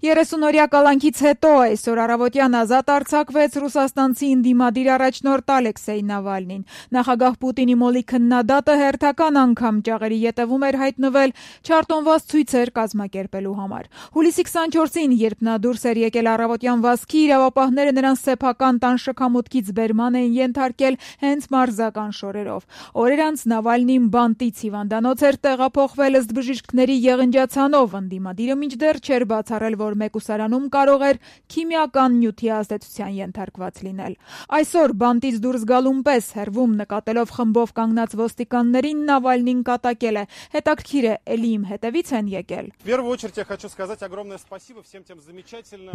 30-օրյա կալանքից հետո այսօր առավոտյան ազատ արձակվեց ռուսաստանցի ընդդիմադիր առաջնորդ Ալեքսեյ Նավալնին։ Նախագահ Պուտինի մոլի քննադատը հերթական անգամ ճաղերի ետևում էր հայտնվել չարտոնված ցույցեր կազմակերպելու համար։ Հուլիսի 24-ին, երբ նա դուրս էր եկել առավոտյան վազքի, իրավապահները նրան սեփական տան շքամուտքից բերման էին ենթարկել հենց մարզական շորերով։ Օրեր անց Նավալնին բանտից հիվանդանոց էր տեղափոխվել ըստ բժիշկների եղնջացանով։ Ընդդիմադիրը մինչդեռ չէր բացառել, որ մեկուսարանում կարող էր քիմիական նյութի ազդեցության ենթարկված լինել։ Այսօր բանտից դուրս գալուն պես հեռվում նկատելով խմբով կանգնած ոստիկաններին Նավալնին կատակել է. հետաքրքիր է, էլի իմ հետևից են եկել։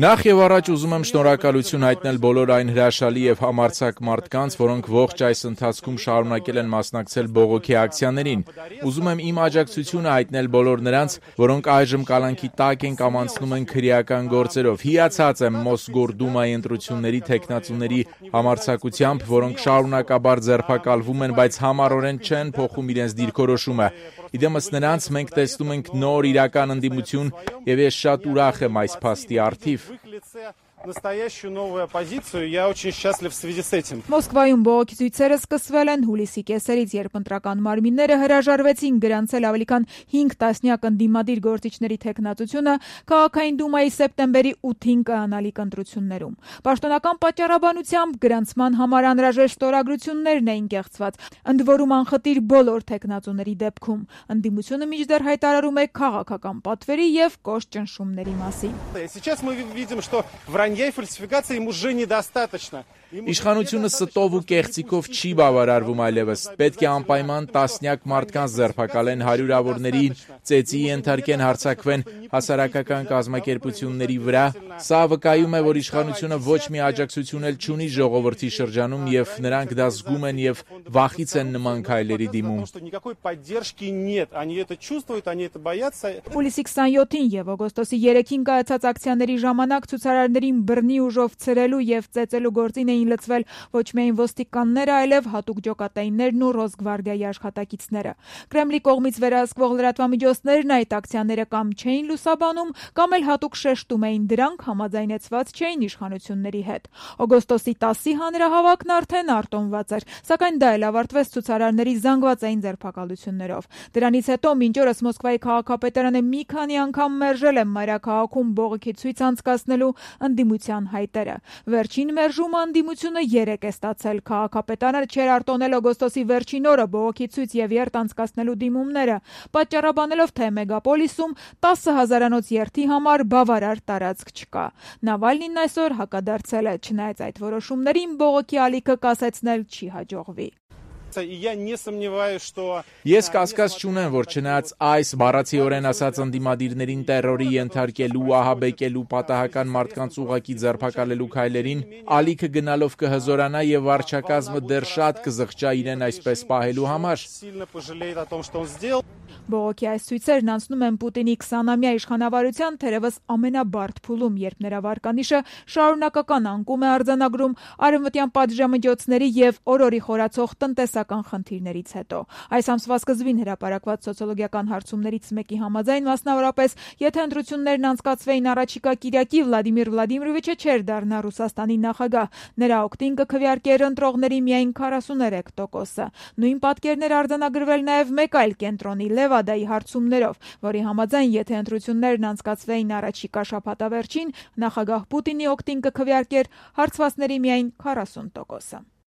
Նախ եւ առաջ ուզում եմ շնորհակալություն հայտնել բոլոր այն հրաշալի եւ համարձակ մարդկանց, որոնք ողջ այս ընթացքում շարունակել են մասնակցել բողոքի ակցիաներին։ Ուզում եմ իմ աջակցությունը հայտնել բոլոր նրանց, որոնք այժմ կալանքի տակ են կամ անցնում են քրեական գործերով։ Հիացած եմ Մոսգորդումայի ընտրությունների թեկնածուների համարձակությամբ, որոնք շարունակաբար ձերբակալվում են, բայց համառորեն չեն փոխում իրենց դիրքորոշումը։ Իդեմս նրանց մենք տեսնում ենք նոր իրական ընդդիմություն, եւ ես շատ ուրախ եմ այս փաստի առթիվ։ Настоящую новую оппозицию. Я очень счастлив в связи с этим. Մոսկվայում բողոքի ցույցերը սկսվել են հուլիսի կեսերից, երբ ընտրական մարմինները հրաժարվեցին գրանցել ավելի քան 5 տասնյակ ընդդիմադիր գործիչների թեկնածությունը քաղաքային դումայի սեպտեմբերի 8-ին կանալիք ընտրություններում։ Պաշտոնական պատճառաբանությամբ գրանցման համար անհրաժեշտ ստորագրություններն էին կեղծված, ընդ որում անխտիր բոլոր թեկնածուների դեպքում։ Ընդդիմությունը մինչդեռ հայտարարում է քաղաքական պատվերի եւ կոշտ ճնշումների մասին։ Сейчас мы видим, что вранья и фальсификации им уже недостаточно. Իշխանությունը ստով ու կեղծիկով չի բավարարվում այլևս։ Պետք է անպայման տասնյակ մարդկանց ձերբակալեն, հարյուրավորների ծեծի ենթարկեն, հարձակվեն հասարակական կազմակերպությունների վրա։ Սա վկայում է, որ իշխանությունը ոչ մի աջակցություն էլ չունի ժողովրդի շրջանում, եւ նրանք դա զգում են եւ վախից են նման քայլերի դիմում։ Հուլիսի 27-ին եւ օգոստոսի 3-ին կայացած ակցիաների ժամանակ ցուցարարներին բռնի ուժով ցրելու եւ ծեծելու գործին էին լծվել ոչ միայն ոստիկանները, այլև հատուկ ջոկատայիններն ու Ռոսգվարդիայի աշխատակիցները։ Կրեմլի կողմից վերահսկվող լրատվամիջոցներն այդ ակցիաները կամ չէին լուսաբանում, կամ էլ հատուկ շեշտում էին դրանք, համաձայնեցված չէին իշխանությունների հետ։ Օգոստոսի 10-ի հանրահավաքն արդեն արտոնված էր, սակայն դա էլ ավարտվեց ցուցարարների զանգվածային ձերբակալություններով։ Դրանից հետո մինչ օրս Մոսկվայի քաղաքապետարանը մի քանի անգամ մերժել է մայրաքաղաքում բողոքի ցույց անցկացնելու ընդդիմության հայտերը։ Վերջին մերժումը ընդդիմությունը 3 է ստացել։ Քաղաքապետարանը չէր արտոնել օգոստոսի վերջին օրը բողոքի ցույց եւ երթ անցկացնելու դիմումները, պատճառաբանելով, թե մեգապոլիսում 10,000-անոց երթի համար բավարար տարածք չկա։ Նավալնին այսօր հակադարձել է, չնայած այդ որոշումներին բողոքի ալիքը կասեցնել չի հաջողվի։ Ես կասկած չունեմ, որ չնայած այս բառացիորեն ասած ընդդիմադիրներին տերորի ենթարկելու, ահաբեկելու, պատահական մարդկանց ուղղակի ձերբակալելու քայլերին, ալիքը գնալով կհզորանա եւ վարչակազմը դեռ շատ կզղջա իրեն այսպես պահելու համար։ Բողոքի այս ցույցերն անցնում են Պուտինի 20-ամյա իշխանավարության թերևս ամենաբարդ փուլում, երբ նրա վարկանիշը շարունակական անկում է արձանագրում արևմտյան պատժամիջոցների եւ օրորի խորացող տնտեսական խնդիրներից հետո։ Այս ամսվա սկզբին հրապարակված սոցիոլոգիական հարցումներից մեկի համաձայն, մասնավորապես, եթե ընտրություններն անցկացվեին առաջիկա կիրակի, Վլադիմիր Վլադիմիրովիչը չէր դառնա Ռուսաստանի նախագահ։ Նրա օգտին կքվեարկեր ընտրողների միայն 43%-ը։ Նույն պատկերներ արձանագրվել նաեւ մեկ այլ կենտրոնի Լևադայի հարցումներով, որի համաձայն, եթե ընտրություններն անցկացվեին առաջիկա շաբաթավերջին, նախագահ Պուտինի օգտին կքվեարկեր հարցվածների միայն 40%-ը։